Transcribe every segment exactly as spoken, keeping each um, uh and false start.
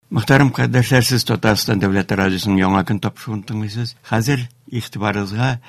Мөхтәрәм кардәшләр, сез Татарстан Дәүләт радиосының Яңа көн тапшыруын тыңлыйсыз. Хәзер игътибарыгызга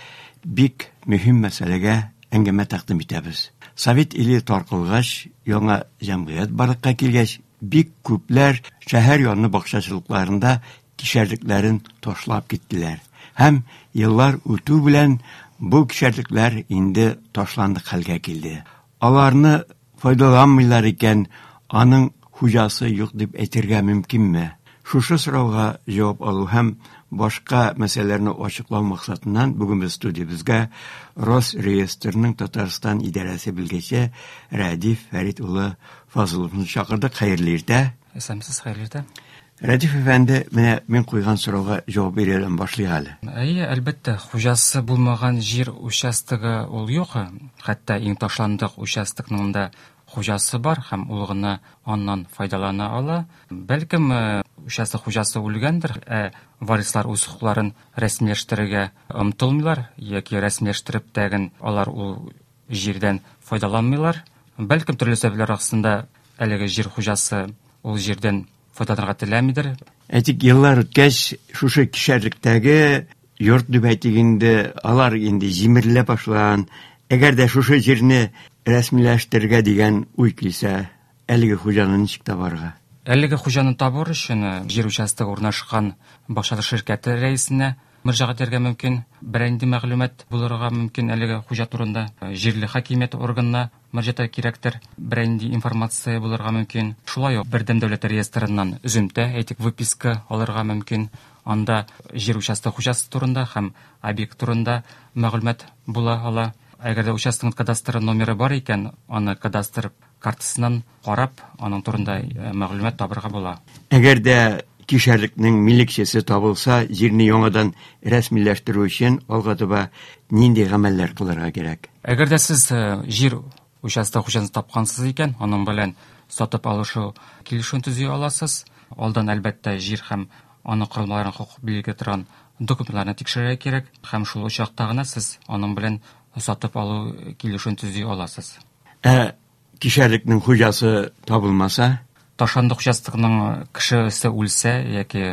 бик мөһим мәсьәләгә әңгәмә тәкъдим итәбез. Совет иле таркалгач, яңа җәмгыять барлыкка килгәч, бик күпләр шәһәр яны бакчачылыкларында кишәрлекләрен ташлап киттеләр. Һәм еллар үтү белән бу кишәрлекләр инде ташландык хәлгә килде. Аларны файдаланмыйлар икән, аның хуҗасы юк дип әйтергә мөмкинме? Шушы сорауга җавап алу һәм башка мәсьәләләрне ачыклау максатыннан бүген без студиябезгә Росреестрның Татарстан идарәсе белгече Рәдиф Фәрит улы Фазыловны чакырдык. Хәерле иртә. Исәнмесез, хәерле иртә. Рәдиф әфәнде, менә мин куйган сорауга җавап бирүдән башлыйк әле. Әйе, әлбәттә, хуҗасы булмаган җир участогы ул юк. Хәтта иң ташландык участокның да хуҗасы бар һәм ул гына аннан файдалана ала. Бәлкем, участок хуҗасы үлгәндер, ә варислар үз хокукларын рәсмиләштерергә омтылмыйлар яки рәсмиләштереп тәген алар ул җирдән файдаланмыйлар. Бәлкем, төрле сәбәпләр аркасында әлеге җир хуҗасы ул җирдән файдаланырга теләмидер. Әйтик, еллар үткәч, шушы кишәрлектәге йорт дип әйтик инде, алар инде җимерелә башлаган. Әгәр дә шушы җирне рәсмиләштерергә дигән уй килсә, әлеге хуҗаны ничек табарга? Әлеге хуҗаны табыр өчен җир участогы урнашкан бакчачылык ширкәте рәисенә мөрәҗәгать итәргә мөмкин. Берәр нинди мәгълүмат булырга мөмкин әлеге хуҗа турында. Җирле хакимият органына мөрәҗәгать кирәктер. Берәр нинди информация булырга мөмкин. Шулай ук бердәм дәүләт реестрыннан өземтә, әйтик, выписка алырга мөмкин. Анда җир участогы хуҗасы турында һәм объект турында мәгълүмат була ала. Әгәр дә участокның кадастр номеры бар икән, аны кадастр картасыннан карап, аның турында мәгълүмат табырга була. Әгәр дә кишәрлекнең милекчесе табылса, җирне яңадан рәсмиләштерү өчен алга таба нинди гамәлләр кылырга кирәк? Әгәр дә сез җир участогы хуҗасын тапкансыз икән, аның белән сатып алышу килешүен төзи аласыз. Алдан әлбәттә җир һәм аның корылмаларын хокук билгели торган документларны тикшерергә кирәк һәм шул очракта гына сез аның белән сатып алу килешүен төзи аласыз. Ә кишәрлекнең хуҗасы табылмаса? Ташландык участокның кешесе үлсә яки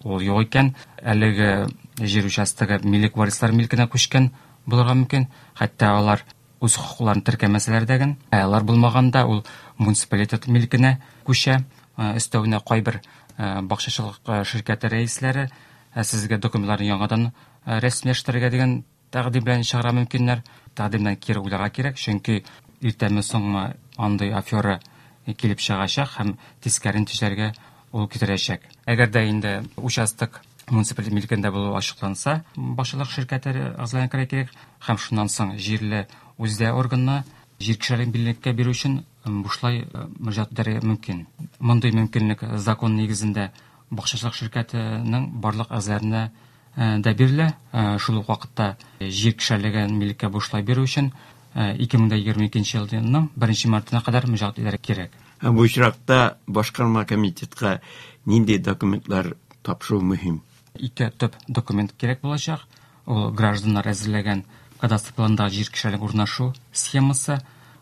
ул юк икән, әлеге җир участогы милек варислар милкенә күчкән булырга мөмкин. Хәтта алар үз хокукларын теркәмәсәләр дә генә, ә алар булмаганда ул муниципалитет милкенә күчә. Өстәвенә кайбер бакчачылык ширкәте рәисләре сезгә документларны яңадан рәсмиләштерергә дигән тәкъдим белән чыгарга мөмкиннәр. Тәкъдимнән кире уйларга кирәк, чөнки иртәме соңмы андый афера килеп чыгачак һәм тискәре нәтиҗәләргә ул китерәчәк. Әгәр дә инде участок муниципаль милкендә булу ачыкланса, бакчачылык ширкәте әгъзаларына керергә кирәк һәм шуннан соң җирле үзидарә органына җир кишәрлеген милеккә бирү өчен бушлай мөрәҗәгать итәргә мөмкин. Мондый мөмкинлек закон нигезендә бакчачылык ширкәтенең барлык әгъзаларына дә бирелә. Шул ук вакытта җир кишәрлеген милеккә бушлай бирү өчен ике мең егерме икенче елның беренче мартына кадәр мөрәҗәгать итәргә кирәк. Һәм бу очракта башкарма комитетка нинди документлар тапшыру мөһим? Ике төп документ кирәк булачак. Ул гражданнар әзерләгән кадастр планындагы җир кишәрлеге урнашу схемасы,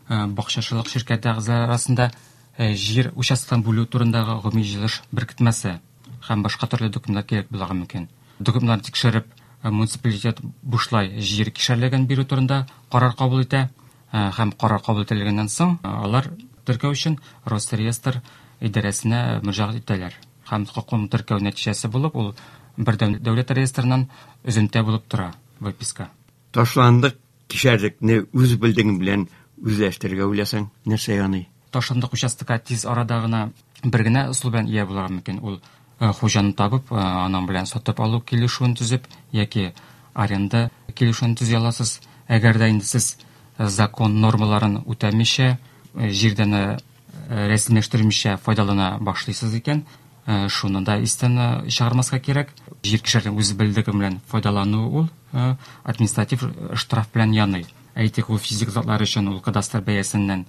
бакчачылык ширкәте әгъзалары арасында җир участокларын бүлү турындагы гомуми җыелыш беркетмәсе һәм башка төрле документлар кирәк булырга мөмкин. Документларны тикшереп, муниципалитет бушлай җир кишәрлеген бирү турында карар кабул итә һәм карар кабул ителгәннән соң алар теркәү өчен Росреестр идарәсенә мөрәҗәгать итәләр. Һәм хокукын теркәү нәтиҗәсе булып, ул бердәм дәүләт реестрыннан өземтә булып тора, выписка. Ташландык кишәрлекне үз белдегең белән үзләштерергә уйласаң, нәрсә яный? Ташландык участокка тиз арада гына бер генә ысул белән ия булырга мөмкин. Ул хуҗаны табып, аның белән сатып алу килешүен төзеп яки аренда килешүен төзи аласыз. Әгәр дә инде сез закон нормаларын үтәмичә, җирдән рәсмиләштермичә файдалана башлыйсыз икән, шуны да истән чыгармаска кирәк. Җир кишәрлеген үз белдеге белән файдалану ул административ штраф белән яный. Әйтик, ул физик затлар өчен ул кадастр бәясеннән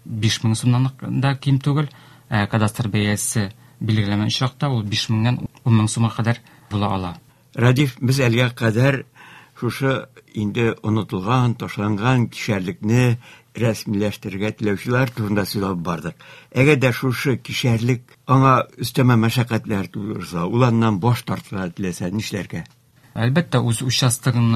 биш мең сумнан да ким түгел, ә кадастр бәясе билгеләнгән очракта ул биш меңнән ун мең сумга кадәр була ала. Рәдиф, без әлегә кадәр Шушы инде онытылган, ташланган кишәрлекне рәсмиләштерергә теләүчеләр турында сөйләп бардык. Әгәр дә шушы кишәрлек аңа өстәмә мәшәкатьләр тудырса, ул аннан баш тартырга теләсә, нишләргә? Әлбәттә, үз участогын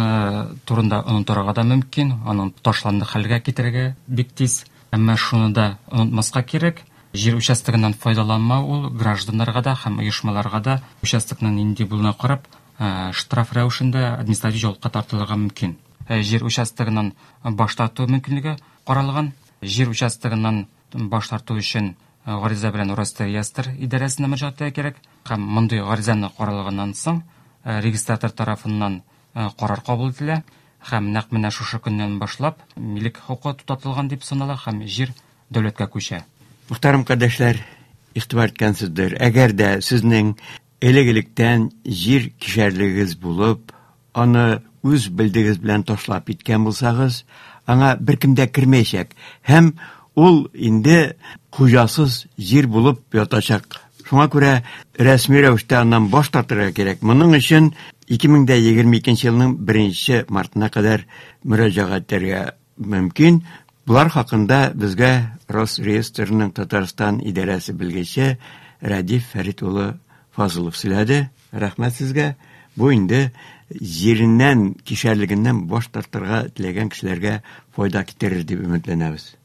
турында онытырга да мөмкин, аның ташландык хәлгә китерергә бик тиз. Әмма шуны да онытмаска кирәк, җир участогыннан файдаланмау ул гражданнарга да һәм оешмаларга да участокның нинди булуына карап, штраф рәвешендә административ җавапка тартылырга мөмкин. Җир участогыннан баш тарту мөмкинлеге каралган. Җир участогыннан баш тарту өчен гариза белән Росреестр идарәсенә мөрәҗәгать итәргә кирәк. Һәм мондый гаризаны каралганнан соң регистратор тарафыннан карар кабул ителә һәм нәкъ менә шушы көннән башлап милек хокукы туктатылган дип санала һәм җир дәүләткә күчә. Мөхтәрәм кардәшләр, игътибар иткәнсездер. Әгәр дә сезнең элек-электән җир кишәрлегегез булып, аны үз белдегез белән ташлап киткән булсагыз, аңа беркем дә кермәячәк һәм ул инде хуҗасыз җир булып ятачак. Шуңа күрә рәсми рәвештә аннан баш тартырга кирәк. Моның өчен ике мең дә егерме икенче елның беренче мартына кадәр мөрәҗәгать итәргә мөмкин. Булар хакында безгә Росреестрның Татарстан идарәсе белгече Рәдиф Фәрит улы Фазылов сөйләде. Рәхмәт сезгә. Бу инде җиреннән, кишәрлегеннән баш тартырга теләгән кешеләргә файда китерер дип өметләнәбез.